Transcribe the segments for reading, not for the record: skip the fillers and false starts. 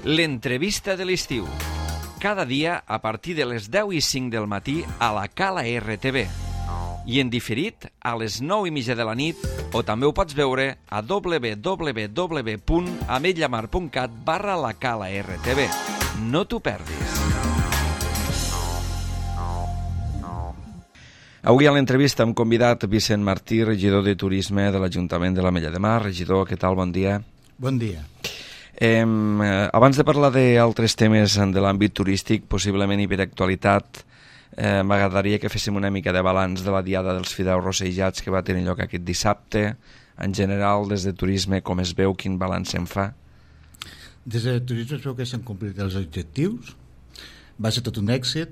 L'entrevista de l'estiu. Cada dia a partir de les 10:05 del matí a la Cala RTV. I en diferit a les 9:30 de la nit, o també ho pots veure a www.ametlllamar.cat/la Cala RTV. No t'ho perdis. Avui a l'entrevista hem convidat Vicent Martí, regidor de Turisme de l'Ajuntament de l'Ametlla de Mar. Regidor, què tal? Bon dia. Bon dia. Abans de parlar d'altres temes de l'àmbit turístic, possiblement hiperactualitat, m'agradaria que féssim una mica de balanç de la Diada dels Fideus Rossejats que va tenir lloc aquest dissabte. En general, des de Turisme, com es veu, quin balanç se'n fa? Des de Turisme es veu que s'han complit els objectius. Va ser tot un èxit.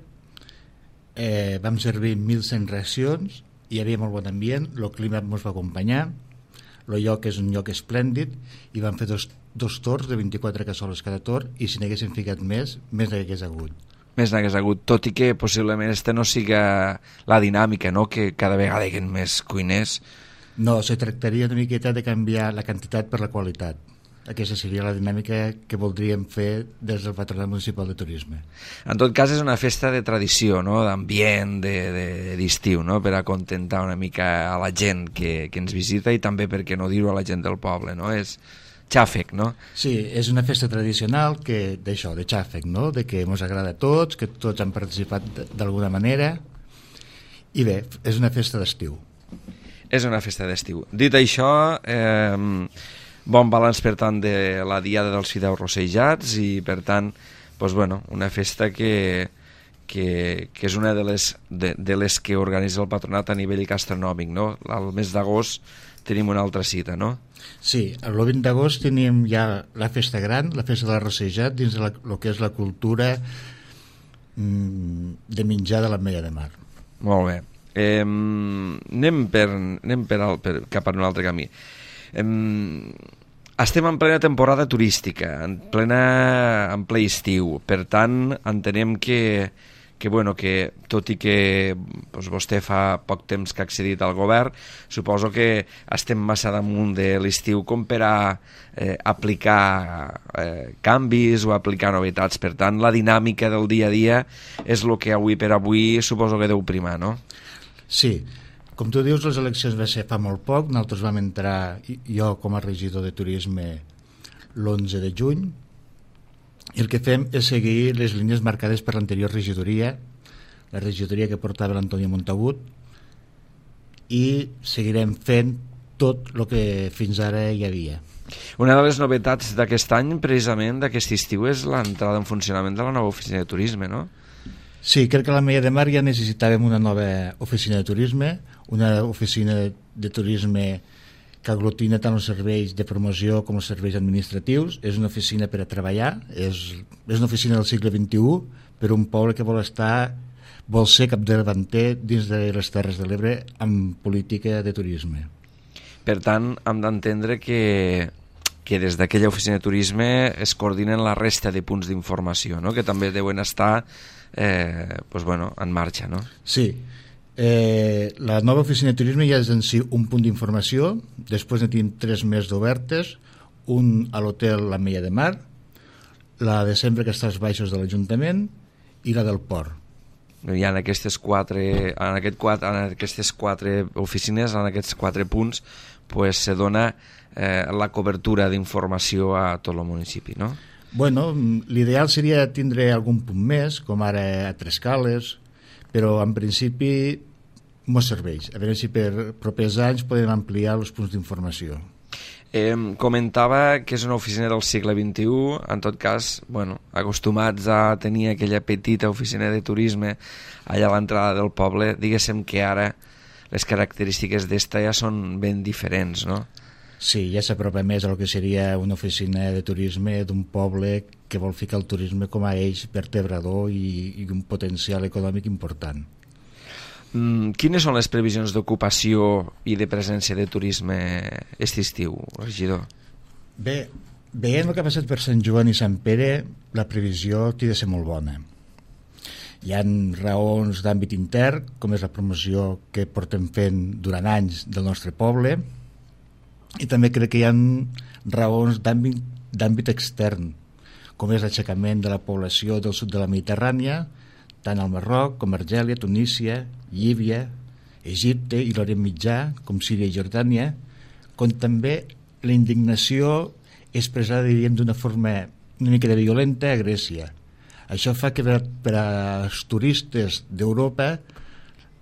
Vam servir 1.100 racions, hi havia molt bon ambient, el clima ens va acompanyar, el lloc és un lloc esplèndid i vam fer dos torns de 24 cassoles cada torn, i si n'haguéssim ficat més n'hagués hagut. Més n'hagués hagut, tot i que possiblement no siga la dinàmica, no? Que cada vegada hi ha més cuiners. No, se tractaria una miqueta de canviar la quantitat per la qualitat. Aquesta seria la dinàmica que voldríem fer des del Patronat Municipal de Turisme. En tot cas, és una festa de tradició, no? D'ambient, d'estiu, no? Per acontentar una mica a la gent que ens visita i també, per què no dir-ho, a la gent del poble, no? És xàfec, no? Sí, és una festa tradicional d'això, de xàfec, no? De que ens agrada a tots, que tots han participat d'alguna manera, i bé, és una festa d'estiu. És una festa d'estiu. Dit això, bon balanç, per tant, de la Diada dels Fideus Rossejats i, per tant, doncs, bueno, una festa que és una de les que organitza el Patronat a nivell gastronòmic, no? Al mes d'agost tenim una altra cita, no? Sí, el 20 d'agost tenim ja la festa gran, la festa del Rossejat, dins el que és la cultura de menjar de l'Ametlla de Mar. Molt bé. Anem cap a un altre camí. Estem en plena temporada turística, en ple estiu, per tant entenem que tot i que vostè fa poc temps que ha accedit al govern, suposo que estem massa damunt de l'estiu com per a aplicar canvis o aplicar novetats. Per tant, la dinàmica del dia a dia és el que avui per avui suposo que deu primar, no? Sí, com tu dius, les eleccions va ser fa molt poc. Nosaltres vam entrar, jo com a regidor de Turisme, l'11 de juny, i el que fem és seguir les línies marcades per l'anterior regidoria, la regidoria que portava l'Antoni Montagut, i seguirem fent tot el que fins ara hi havia. Una de les novetats d'aquest any, precisament d'aquest estiu, és l'entrada en funcionament de la nova oficina de turisme, no? Sí, crec que a l'Ametlla de Mar ja necessitàvem una nova oficina de turisme, una oficina de turisme que aglutina tant els serveis de promoció com els serveis administratius. És una oficina per a treballar, és una oficina del segle XXI per un poble que vol ser capdavanter dins de les Terres de l'Ebre amb política de turisme. Per tant, hem d'entendre que des d'aquella oficina de turisme es coordinen la resta de punts d'informació, no? Que també deuen estar en marxa, no? Sí. La nova oficina de turisme ja és en si un punt d'informació. Després en tenim 3 més d'obertes, un a l'hotel l'Ametlla de Mar, la de sempre que està als baixos de l'Ajuntament i la del port. Hi ha aquestes quatre oficines, en aquests 4 punts, se dona la cobertura d'informació a tot el municipi, no? Bueno, l'ideal seria tindre algun punt més, com ara a Trescales, però en principi no serveix. A veure si per propers anys podem ampliar els punts d'informació. Comentava que és una oficina del segle XXI, en tot cas, acostumats a tenir aquella petita oficina de turisme allà a l'entrada del poble, diguéssim que ara les característiques d'esta ja són ben diferents, no? Sí, ja s'apropa més al que seria una oficina de turisme d'un poble que vol ficar el turisme com a eix vertebrador i un potencial econòmic important. Quines són les previsions d'ocupació i de presència de turisme aquest estiu, regidor? Bé, veient el que ha passat per Sant Joan i Sant Pere, la previsió té de ser molt bona. Hi ha raons d'àmbit intern, com és la promoció que portem fent durant anys del nostre poble, i també crec que hi ha raons d'àmbit extern, com és l'aixecament de la població del sud de la Mediterrània, tant al Marroc com Argèlia, Tunísia, Líbia, Egipte i l'Orient Mitjà, com Síria i Jordània, com també la indignació expressada, diríem, d'una forma una mica de violenta a Grècia. Això fa que per als turistes d'Europa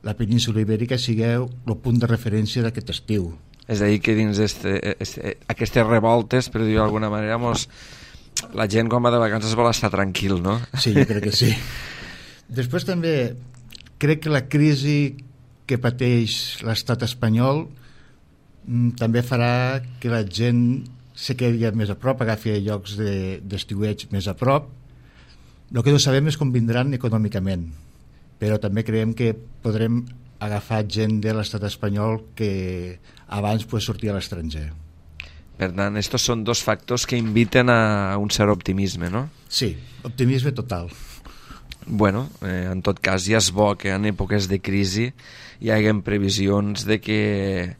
la península Ibèrica sigui el punt de referència d'aquest estiu. És a dir, que dins aquestes revoltes, per dir-ho d'alguna manera, la gent quan va de vacances vol estar tranquil, no? Sí, jo crec que sí. Després també crec que la crisi que pateix l'estat espanyol també farà que la gent se quedi més a prop, agafi llocs d'estiueig més a prop. El que no sabem és com vindran econòmicament, però també creiem que podrem agafar gent de l'estat espanyol que abans sortir a l'estranger. Per tant, estos són dos factors que inviten a un cert optimisme, no? Sí, optimisme total. Bueno, en tot cas ja és bo que en èpoques de crisi hi haguem previsions de que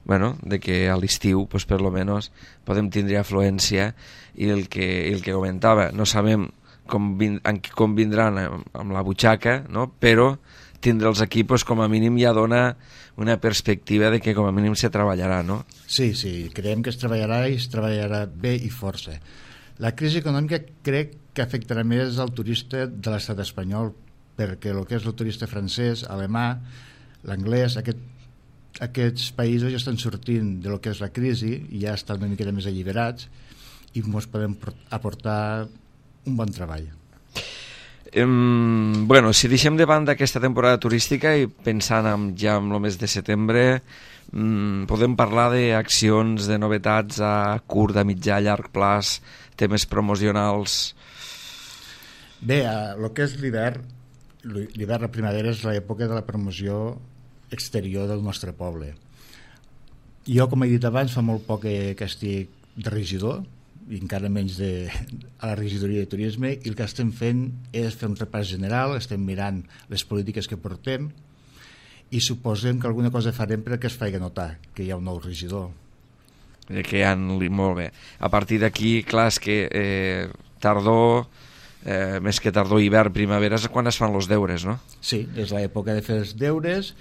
a l'estiu per lo menos podem tindre afluència i el que comentava, no sabem com vindran amb la butxaca, no? Però tindre els equipos com a mínim ja dona una perspectiva de que com a mínim se treballarà, no? Sí, creiem que es treballarà i es treballarà bé i força. La crisi econòmica crec que afectarà més al turista de l'estat espanyol, perquè el que és el turista francès, alemà, l'anglès, aquests països ja estan sortint de lo que és la crisi i ja estan una mica més alliberats i ens podem aportar un bon treball. Si deixem de banda aquesta temporada turística i pensant ja en el mes de setembre, podem parlar d'accions, de novetats a curt, a mitjà, a llarg plaç, temes promocionals. Bé, el que és l'hivern, la primavera és l'època de la promoció exterior del nostre poble. Jo, com he dit abans, fa molt poc que estic de regidor, i encara menys a la regidoria de turisme, i el que estem fent és fer un repàs general, estem mirant les polítiques que portem i suposem que alguna cosa farem perquè es faci notar que hi ha un nou regidor. Molt bé. A partir d'aquí, clar, és que tardor, més que tardor, hivern, primavera és quan es fan els deures, no? Sí, és l'època de fer els deures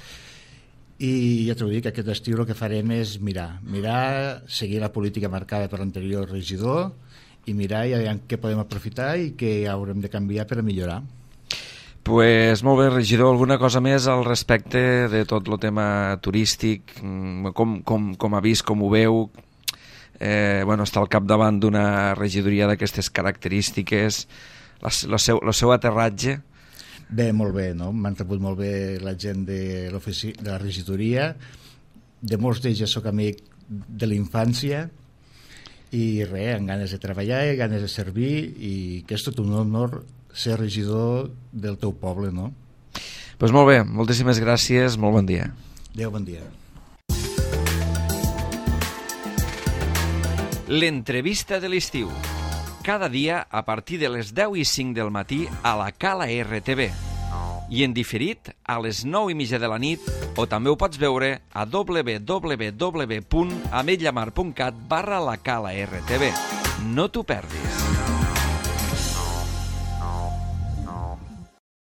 i ja t'ho dic, aquest estiu el que farem és mirar, seguir la política marcada per l'anterior regidor i mirar i veure què podem aprofitar i què haurem de canviar per a millorar. Pues molt bé, regidor, alguna cosa més al respecte de tot el tema turístic, com ha vist, com ho veu? Està al capdavant d'una regidoria d'aquestes característiques, el seu aterratge? Bé, molt bé, no? M'han rebut molt bé la gent de la regidoria, de molts d'ells ja soc amic de la infància i res, amb ganes de treballar i ganes de servir i que és tot un honor ser regidor del teu poble, no? Doncs molt bé, moltíssimes gràcies, molt bon dia. Adéu, bon dia. L'entrevista de l'estiu. Cada dia a partir de les 10:05 del matí a la Cala RTV i en diferit a les 9:30 de la nit, o també ho pots veure a www.ametlllamar.cat/la Cala RTV. No t'ho perdis.